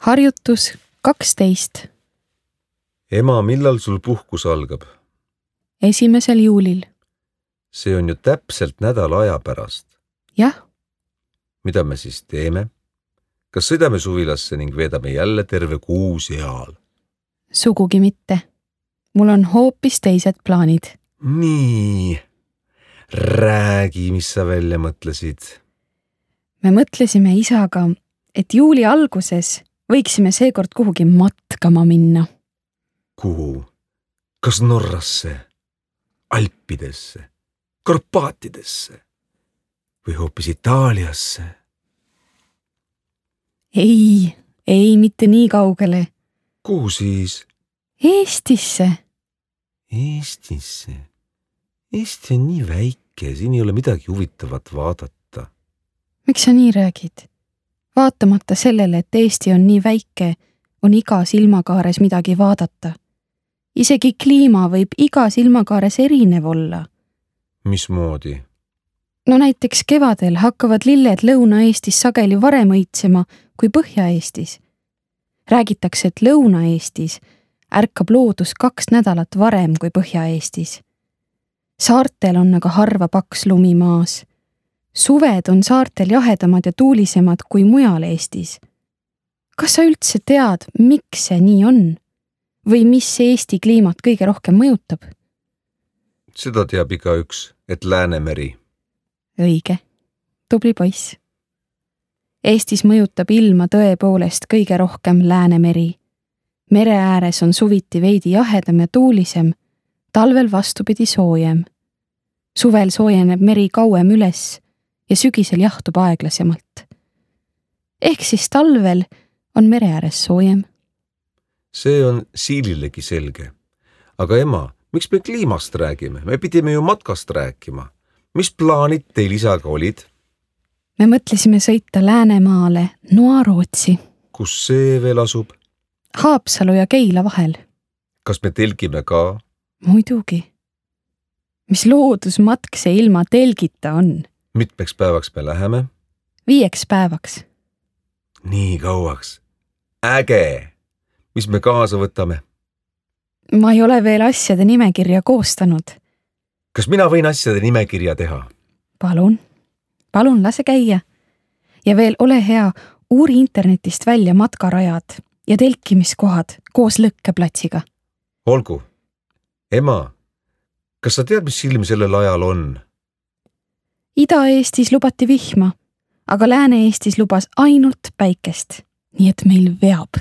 Harjutus 12. Ema, millal sul puhkus algab? 1. juulil. See on ju täpselt nädala aja pärast. Jah. Mida me siis teeme? Kas sõidame suvilasse ning veedame jälle terve kuu seal? Sugugi mitte. Mul on hoopis teised plaanid. Nii. Räägi, mis sa välja mõtlesid. Me mõtlesime isaga, et juuli alguses võiksime seekord kuhugi matkama minna. Kuhu? Kas Norrasse? Alpidesse? Karpaatidesse? Või hoopis Itaaliasse? Ei, mitte nii kaugele. Kuhu siis? Eestisse. Eestisse? Eesti on nii väike, siin ei ole midagi huvitavat vaadata. Miks sa nii räägid? Vaatamata sellele, et Eesti on nii väike, on iga silmakaares midagi vaadata. Isegi kliima võib iga silmakaares erinev olla. Mismoodi? No näiteks kevadel hakkavad lilled Lõuna-Eestis sageli varem õitsema kui Põhja-Eestis. Räägitakse, et Lõuna-Eestis ärkab loodus 2 nädalat varem kui Põhja-Eestis. Saartel on aga harva paks lumi maas. Suved on saartel jahedamad ja tuulisemad kui mujal Eestis. Kas sa üldse tead, miks see nii on? Või mis Eesti kliimat kõige rohkem mõjutab? Seda teab igaüks, et Läänemeri. Õige. Tubli poiss. Eestis mõjutab ilma tõepoolest kõige rohkem Läänemeri. Mere ääres on suviti veidi jahedam ja tuulisem, talvel vastupidi soojem. Suvel soojeneb meri kauem üles ja sügisel jahtub aeglasemalt. Ehk siis talvel on mere ääres soojem. See on Siililegi selge. Aga ema, miks me kliimast räägime? Me pidime ju matkast rääkima. Mis plaanid teil isaga olid? Me mõtlesime sõita Läänemaale, Noarootsi. Kus see veel asub? Haapsalu ja Keila vahel. Kas me telgime ka? Muidugi. Mis loodusmatk see ilma telgita on? Mitmeks päevaks me läheme? 5 päevaks. Nii kauaks. Äge! Mis me kaasa võtame? Ma ei ole veel asjade nimekirja koostanud. Kas mina võin asjade nimekirja teha? Palun lase käia. Ja veel ole hea, uuri internetist välja matkarajad ja telkimiskohad koos lõkkeplatsiga. Olgu. Ema, kas sa tead, mis ilm sellel ajal on? Ida-Eestis lubati vihma, aga Lääne-Eestis lubas ainult päikest, nii et meil veab.